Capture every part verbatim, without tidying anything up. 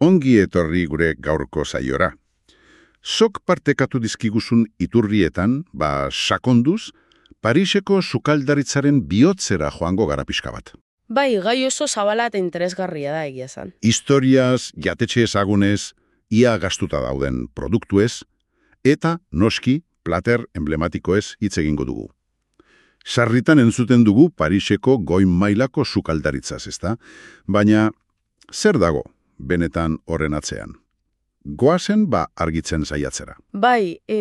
Ongi etorri gure gaurko saiora. Sok partekatu dizkiguzun iturrietan, ba sakonduz, Pariseko sukaldaritzaren bihotzera joango gara pixka bat. Bai, gai oso zabala eta interesgarria da egia esan. Historiaz, jatetxe ezagunez, ia gastuta dauden produktuez, eta noski plater emblematikoez hitz egingo dugu. Sarritan entzuten dugu Pariseko goi mailako sukaldaritzaz, ezta? Baina zer dago benetan horren atzean? Goazen ba argitzen saiatzera. Bai, e,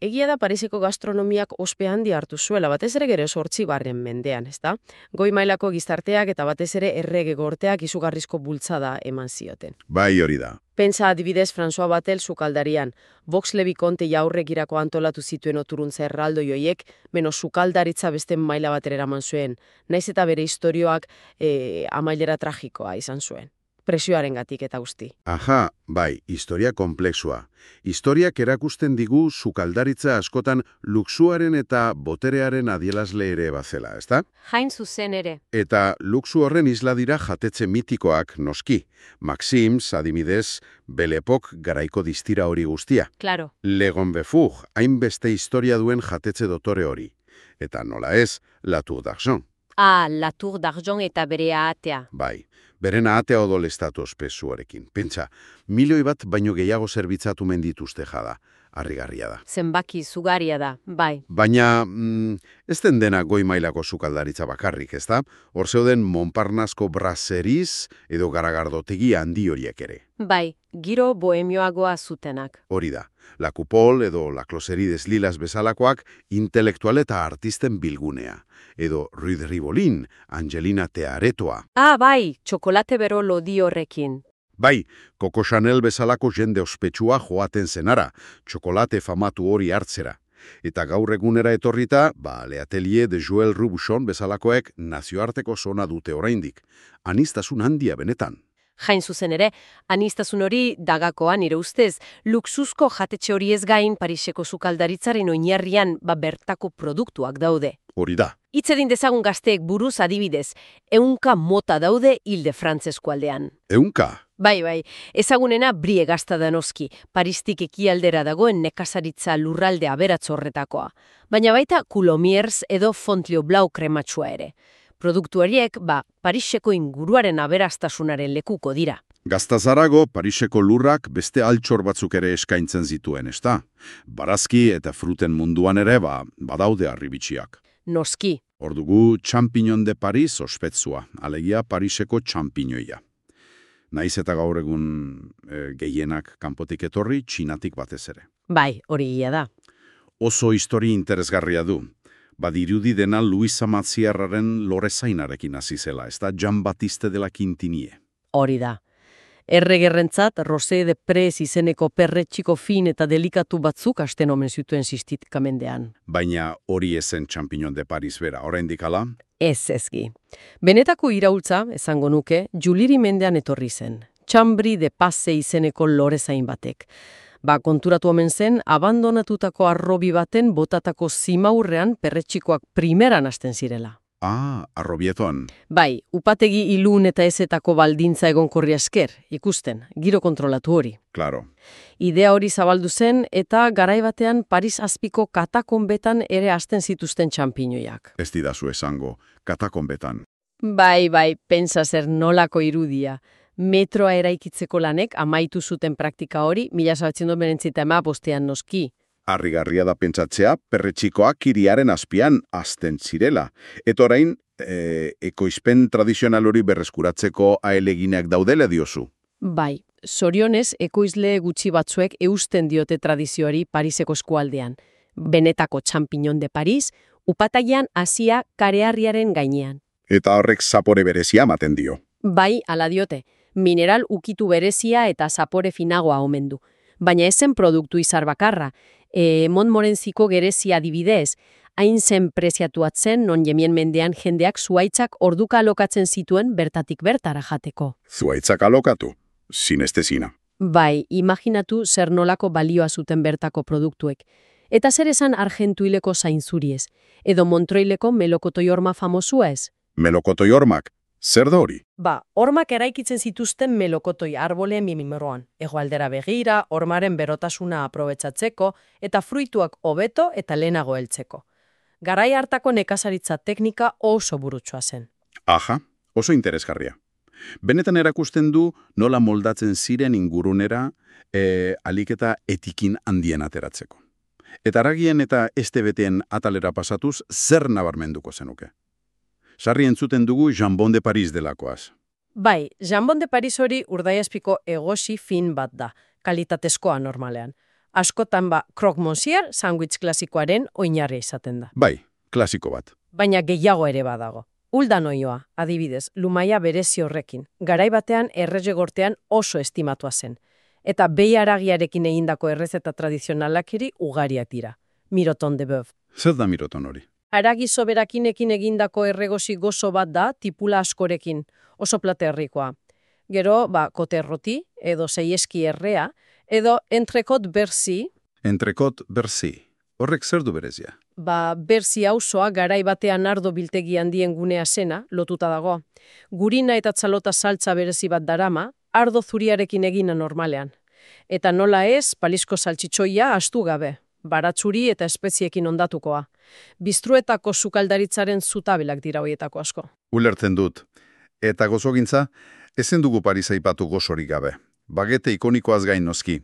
egia da Pariseko gastronomiak ospe handi hartu zuela, batez ere gero sortzi barren mendean, ezta? Goi mailako gizarteak eta batez ere errege gorteak izugarrizko bultzada eman zioten. Bai hori da. Pentsa adibidez François Batel sukaldarian, Vox Levi Conte jaurregirako antolatu zituen oturuntza erraldo joiek, meno sukaldaritza beste maila batera eraman zuen, naiz eta bere istorioak e, amailera tragikoa izan zuen. Presioarengatik eta guzti. Aha, bai, historia komplexua. Historiak erakusten digu sukaldaritza askotan luxuaren eta boterearen adierazle ere bazela, ezta? Hain zuzen ere. Eta luxu horren isla dira jatetxe mitikoak noski. Maxims, adibidez, Belle Époque garaiko distira hori guztia. Claro. Le Gonbefug, hainbeste historia duen jatetxe dotore hori. Eta nola ez, La Tour d'Argent. Ah, La Tour d'Argent eta bere ahatea. Bai. Beren ahatea odolestatu ospesuarekin. Pentsa, milioi bat baino gehiago zerbitzatu mendituzte jada. Harrigarria da. Zenbaki zugaria da, bai. Baina, mm, ez den dena goi mailako sukaldaritza bakarrik, ezta? Hor zeuden Montparnasko braseriz edo garagardotegi handi horiek ere. Bai, giro bohemioagoa zutenak. Hori da. La Coupole edo La Closerie des Lilas bezalakoak intelektual eta artisten bilgunea. Edo Rue de Rivoli, Angelina Tearetoa. Ah, bai, txokolate bero lodi horrekin. Bai, Coco Chanel bezalako jende ospetsua joaten zenara, txokolate famatu hori hartzera. Eta gaur egunera etorrita, ba, Le Atelier de Joël Robuchon bezalakoek nazioarteko zona dute oraindik. Aniztasun handia benetan. Jain zuzen ere, aniztasun hori dagakoan nire ustez, luxuzko jatetxe hori ez gain Pariseko sukaldaritzaren oinarrian ba bertako produktuak daude. Hori da. Hitz egin dezagun gazteek buruz adibidez, ehunka mota daude Ile-de-France eskualdean. Ehunka? Bai, bai, ezagunena Brie gazta da noski, Paristik ekialdera dagoen nekazaritza lurralde aberatz horretakoa. Baina baita Coulommiers edo Fontainebleau krematsua ere. Produktu horiek, ba, Pariseko inguruaren aberastasunaren lekuko dira. Gaztazarago, Pariseko lurrak beste altxor batzuk ere eskaintzen zituen, ezta? Barazki eta fruten munduan ere, ba, badaude harribitsiak. Noski. Hor dugu Champignon de Paris ospetsua, alegia Pariseko txampinoia. Naiz eta gaur egun e, gehienak kanpotik etorri, Txinatik batez ere. Bai, hori ia da. Oso histori interesgarria du. Badirudi dena Luisa Matziarraren Lorezainarekin hasi zela, ez da Jean-Baptiste de la Quintinie. Hori da. Erregerrentzat, Rosé de Prez izeneko perretxiko fin eta delikatu batzuk asten omen zituen sistikamendean. Baina hori ezen Champignon de Paris bera, oraindik hala? Ez ezgi. Benetako iraultza, esango nuke, Juliri mendean etorri zen. Chambry de Passe izeneko lorezain batek. Ba, konturatu omen zen, abandonatutako arrobi baten botatako zimaurrean perretxikoak primeran hasten zirela. Ah, arrobieton. Bai, upategi ilun eta ezetako baldintza egonkorri esker, ikusten, giro kontrolatu hori. Claro. Idea hori zabaldu zen eta garai batean Paris azpiko katakonbetan ere hasten zituzten txanpinoiak. Ez didazu esango, katakonbetan. Bai, bai, pentsa zer nolako irudia. Metroa eraikitzeko lanek amaitu zuten praktika hori, mila zaratzen duen berentzita ema bostean noski. Harrigarria da pentsatzea, perretxikoak hiriaren azpian azten zirela. Eta orain, e, ekoizpen tradizional hori berreskuratzeko aeleginak daudela diozu. Bai, zorionez, ekoizle gutxi batzuek eusten diote tradizioari Pariseko eskualdean. Benetako Champignon de Paris, upatagian hasia kareharriaren gainean. Eta horrek zapore berezia ematen dio. Bai, ala diote. Mineral ukitu berezia eta zapore finagoa omen du. Baina ezen produktu izar bakarra. E, Montmorencyko gerezia adibidez, hain zen preziatuatzen non jemien mendean jendeak zuaitzak orduka alokatzen zituen bertatik bertara jateko. Zuaitzak alokatu? Sinestezina. Bai, imaginatu zer nolako balioa zuten bertako produktuek. Eta zer esan Argentuileko zainzuriez, edo Montroileko melokotoiorma famosua ez? Melokotoiormak? Zer da hori? Ba, hormak eraikitzen zituzten melokotoi arboleen mimimoroan. Hegoaldera begira, hormaren berotasuna aprobetxatzeko eta fruituak hobeto eta lehenago heltzeko. Garai hartako nekazaritza teknika oso burutsua zen. Aha, oso interesgarria. Benetan erakusten du nola moldatzen ziren ingurunera e, aliketa etikin handien ateratzeko. Eta haragien eta estebeteen atalera pasatuz zer nabarmenduko zenuke. Sarri entzuten dugu Jambon de Paris delakoaz. Bai, Jambon de Paris hori urdaiazpiko egosi fin bat da, kalitatezkoa normalean. Askotan ba, croque monsieur sandwich klasikoaren oinarri izaten da. Bai, klasiko bat. Baina gehiago ere badago. Uldan oioa, adibidez, lumaia berezi horrekin. Garai batean errezegortean oso estimatua zen. Eta behi haragiarekin egindako errezeta tradizionalak ere ugariak dira. Miroton de bœuf. Zer da miroton hori? Haragi soberakinekin egindako erregosi gozo bat da tipula askorekin, oso platerrikoa. Gero, ba, koterroti, edo seieski errea, edo entrekot berzi. Entrekot berzi. Horrek zer du berezia? Ba, berzi auzoa garai batean ardo biltegi handien gunea zena, lotuta dago. Gurina eta txalota saltza berezi bat darama, ardo zuriarekin egina normalean. Eta nola ez, palizko saltxitxoia astu gabe, baratzuri eta espeziekin ondatukoa. Biztruetako sukaldaritzaren zutabelak dira hoietako asko. Ulertzen dut. Eta gozogintza, ezen dugu Paris aipatu gozorik gabe. Bagete ikonikoaz gain noski.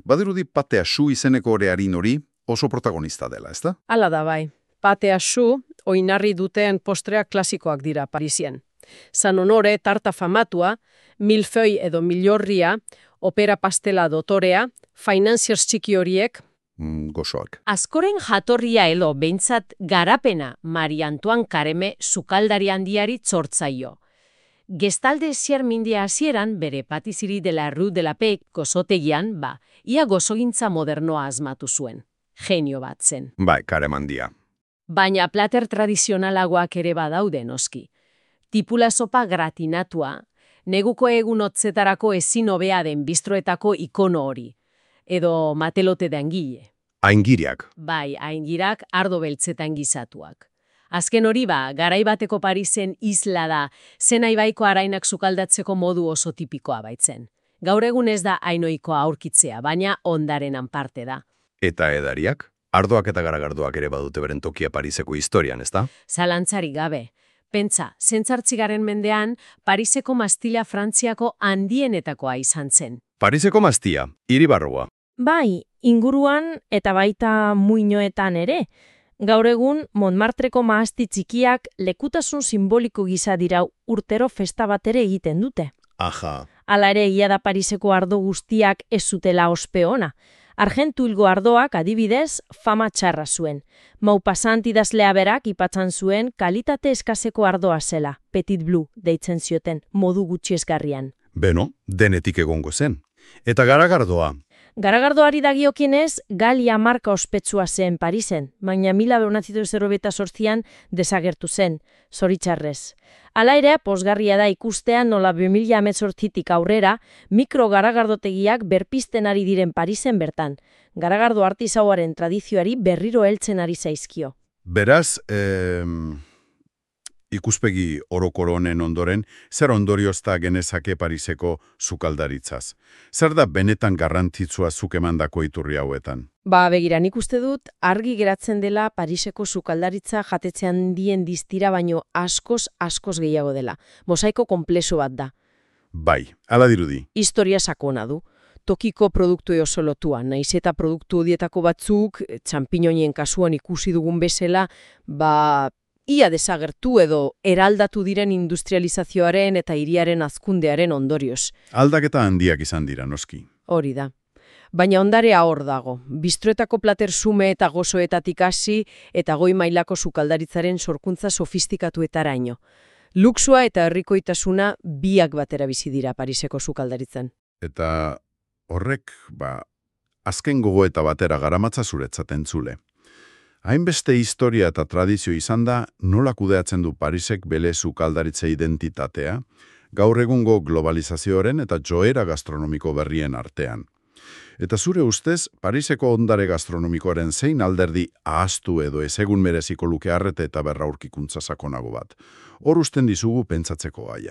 Badirudi patea su izeneko orearin hori oso protagonista dela, ezta? Hala da bai. Patea su, oinarri duten postreak klasikoak dira Parisien. San Honore tarta famatua, milföi edo milorria, opera pastela dotorea, financiers txiki horiek, Mm, gozoak. Askoren jatorria elo behintzat garapena Marie Antoine Kareme sukaldari handiari txortzaio. Gestalde ziar mindia hasieran bere patiziri de la Rue de la Paix gozotegian, ba, ia gozogintza modernoa asmatu zuen. Genio bat zen. Bai, karemandia. Baina plater tradizionalagoak ere badaude noski. Tipula sopa gratinatua, neguko egun hotzetarako ezin hobea den bistroetako ikono hori. Edo matelote de angile. Aingiriak. Bai, aingirak ardo beltzetan gizatuak. Azken hori ba, garai bateko Parisen isla da, zen aibaiko arainak sukaldatzeko modu oso tipikoa baitzen. Gaur egun ez da ainoikoa aurkitzea, baina ondarenan parte da. Eta edariak? Ardoak eta garagardoak ere badute beren tokia Pariseko historian, ezta? Zalantzari gabe. Pentsa, zentzartzigaren mendean, Pariseko mastila Frantziako handienetakoa izan zen. Pariseko mastia, hiribarroa. Bai, inguruan eta baita muinoetan ere. Gaur egun, Montmartreko mahasti txikiak lekutasun simboliko gisa dira urtero festa bat ere egiten dute. Aja. Hala ere egia da Pariseko ardo guztiak ez zutela ospe ona. Argentuilgo ardoak adibidez fama txarra zuen. Maupassant idazlea berak ipatzan zuen kalitate eskaseko ardoa zela, Petit Bleu deitzen zioten, modu gutxiesgarrian. Beno, denetik egongo zen. Eta garagardoa. Garagardoari dagiokienez, Galia marka ospetsua zen Parisen, baina mila bederatziehun eta berrogeita zortzian desagertu zen, zoritxarrez. Hala ere, pozgarria da ikustea nola bi mila hemezortzitik aurrera mikro garagardotegiak berpizten ari diren Parisen bertan. Garagardo artisauaren tradizioari berriro heltzen ari zaizkio. Beraz, eh, ikuspegi orokoro honen ondoren, zer ondoriozta genezake Pariseko sukaldaritzaz? Zer da benetan garrantzitsua zuk emandako iturri hauetan? Ba, begira, nik uste dut argi geratzen dela Pariseko sukaldaritza jatetzean dien distira baino askoz, askoz gehiago dela. Mosaiko konplexu bat da. Bai, hala dirudi. Historia sakona du. Tokiko produktu oso lotua, naiz eta produktu hodietako batzuk, txampiñoien kasuan ikusi dugun bezala, ba, ia desagertu edo eraldatu diren industrializazioaren eta hiriaren hazkundearen ondorioz. Aldaketa handiak izan dira, noski. Hori da. Baina ondarea hor dago. Biztroetako plater sume eta gozoetatik hasi eta goi mailako sukaldaritzaren sorkuntza sofistikatuetaraino. Luxua eta herrikoitasuna biak batera bizi dira Pariseko sukaldaritzan. Eta horrek, ba, azken gogoeta batera garamatza zuretzat entzule. Hainbeste historia eta tradizio izan da, nola kudeatzen du Parisek bere sukaldaritza identitatea, gaur egungo globalizazioaren eta joera gastronomiko berrien artean. Eta zure ustez, Pariseko ondare gastronomikoaren zein alderdi ahaztu edo ezegun mereziko luke arrete eta berraurkikuntza sakonago bat. Hor usten dizugu pentsatzeko gaia.